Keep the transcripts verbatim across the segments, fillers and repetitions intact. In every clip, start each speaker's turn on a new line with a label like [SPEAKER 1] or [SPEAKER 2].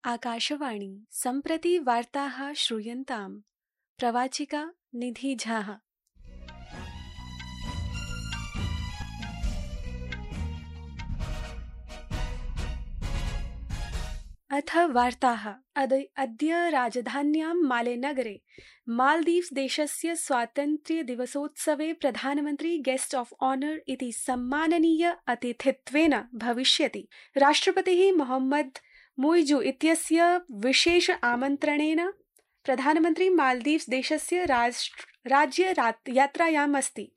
[SPEAKER 1] आकाशवाणी सम्प्रति वार्ताः श्रूयन्ताम्। प्रवाचिका निधि झा। अथ वार्ताः। अद्य राजधान्यां मालेनगरे मालदीव्स देशस्य स्वातन्त्र्यदिवसोत्सवे प्रधानमन्त्री गेस्ट ऑफ ऑनर इति सम्माननीय अतिथित्वेन भविष्यति। राष्ट्रपतिः मोहम्मद मुइजु इत्यस्य विशेष आमन्त्रणेन प्रधानमन्त्री मालदीव्स देशस्य राज्य यात्रायाम् अस्ति।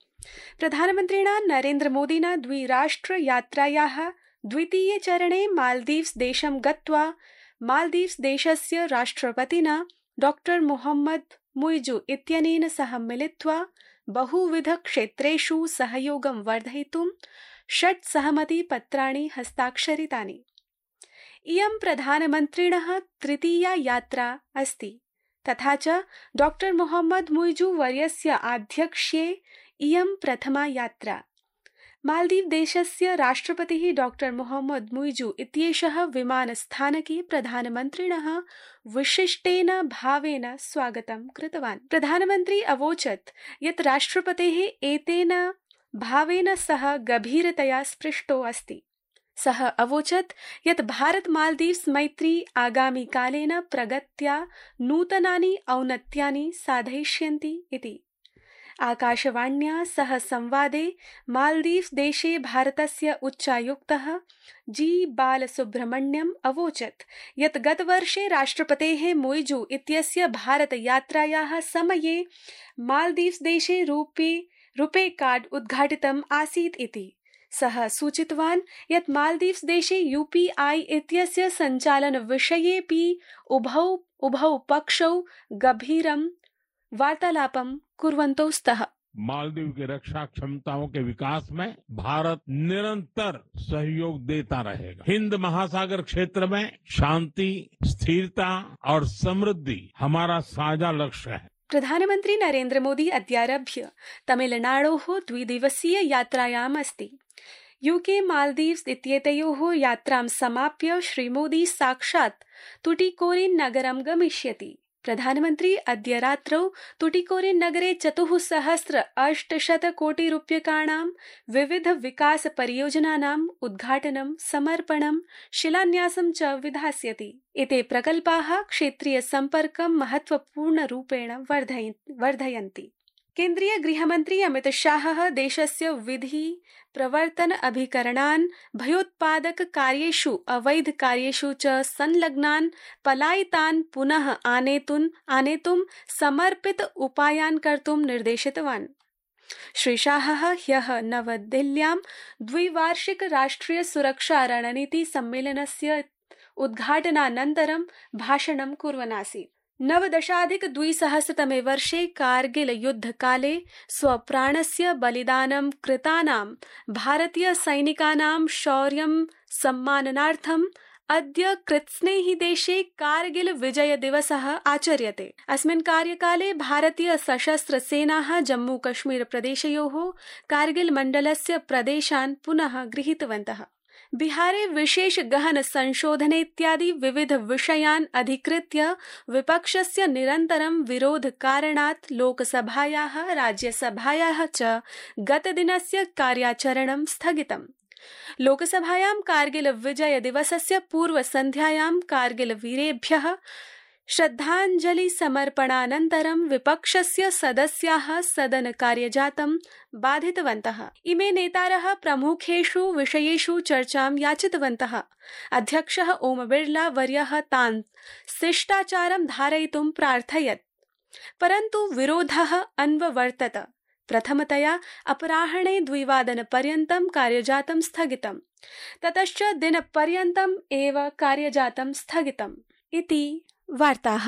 [SPEAKER 1] प्रधानमन्त्रिणा नरेन्द्र मोदिना द्विराष्ट्र यात्रायाः द्वितीये चरणे मालदीव्स देशं गत्वा मालदीव्स देशस्य राष्ट्रपतिना डॉक्टर मोहम्मद मुइजु इत्यनेन सह मिलित्वा बहुविध क्षेत्रेषु सहयोगं वर्धयितुं षट् सहमति पत्राणि हस्ताक्षरितानि। इयं प्रधानमन्त्रिणः तृतीया यात्रा अस्ति। तथा च डॉक्टर मोहम्मद मुइजु वर्यस्य आध्यक्ष्ये इयं प्रथमा यात्रा। मालदीव देशस्य राष्ट्रपतिः डॉक्टर मोहम्मद मुइजु इत्येषः विमानस्थानके प्रधानमन्त्रिणः विशिष्टेन भावेन स्वागतं कृतवान्। प्रधानमन्त्री अवोचत् यत् राष्ट्रपतेः एतेन भावेन सह गभीरतया स्पृष्टो अस्ति। सः अवोचत् यत् भारत मालदीव्स मैत्री आगामि कालेन प्रगत्या नूतनानि औन्नत्यानि साधयिष्यन्ति इति। आकाशवाण्या सह संवादे मालदीव्स देशे भारतस्य उच्चायुक्तः जी बालसुब्रह्मण्यम् अवोचत् यत् गतवर्षे राष्ट्रपतेः मुइजु इत्यस्य भारत यात्रायाः समये मालदीव्स देशे रूपे रूपे कार्ड उद्घाटितम् आसीत् इति। सः सूचितवान् यत् मालदीव्स देशे यूपीआई इत्यस्य सञ्चालन विषयेऽपि उभौ उभौ पक्षौ गभीरं वार्तालापं कुर्वन्तौ स्तः।
[SPEAKER 2] मालदीव की रक्षा क्षमताओं के विकास में भारत निरंतर सहयोग देता रहेगा। हिंद महासागर क्षेत्र में शांति, स्थिरता और समृद्धि हमारा साझा लक्ष्य है।
[SPEAKER 1] प्रधानमन्त्री नरेन्द्र मोदी अद्यारभ्य तमिलनाडोः द्विदिवसीय यात्रायाम् अस्ति। यूके मालदीव्स इत्येतयोः यात्रां समाप्य श्रीमोदी साक्षात् तुटिकोरिन् नगरं गमिष्यति। प्रधानमन्त्री अद्य रात्रौ तुटिकोरिन् नगरे चतुःसहस्र अष्टशत कोटि रूप्यकाणां विविध विकास परियोजनानाम् उद्घाटनं, समर्पणं, शिलान्यासं च विधास्यति। एते प्रकल्पाः क्षेत्रीय सम्पर्कं महत्वपूर्णरूपेण वर्धयन्ति। केन्द्रीय गृहमन्त्री अमित शाहः देशस्य विधि प्रवर्तन अभिकरणान्, भयोत्पादक कार्येषु, अवैध कार्येषु च संलग्नान् पलायितान् पुनः आनेतुं आनेतुं समर्पित उपायान् कर्तुं निर्देशितवान्। श्री शाहः ह्यः नवदिल्ल्यां द्विवार्षिक राष्ट्रिय सुरक्षा रणनीति सम्मेलनस्य उद्घाटनानन्तरं भाषणं कुर्वन् आसीत्। नवदशाधिक द्विसहस्रतमे वर्षे कारगिल युद्धकाले स्वप्राणस्य बलिदानं कृतानां भारतीय सैनिकानां शौर्यं सम्माननार्थम् अद्य कृत्स्नेहि देशे कारगिल विजय दिवसः आचर्यते। अस्मिन् कार्यकाले भारतीय सशस्त्र सेनाः जम्मू कश्मीर प्रदेशयोः कारगिल मण्डलस्य प्रदेशान् पुनः गृहीतवन्तः। बिहारे विशेष गहन संशोधने इत्यादि विविध विषयान् अधिकृत्य विपक्षस्य निरन्तरं विरोध कारणात् लोकसभायाः राज्यसभायाः च गतदिनस्य कार्याचरणं स्थगितम्। लोकसभायां कारगिल विजय दिवसस्य पूर्वसन्ध्यायां कारगिल वीरेभ्यः श्रद्धाञ्जलि समर्पणानन्तरं विपक्षस्य सदस्याः सदन कार्यजातं बाधितवन्तः। इमे नेतारः प्रमुखेषु विषयेषु चर्चां याचितवन्तः। अध्यक्षः ओम बिर्ला वर्यः तान् शिष्टाचारं धारयितुं प्रार्थयत्, परन्तु विरोधः अन्ववर्तत। प्रथमतया अपराह्णे द्विवादनपर्यन्तं कार्यजातं स्थगितम्। ततश्च दिनपर्यन्तम् एव कार्यजातं स्थगितम् इति वार्ताः।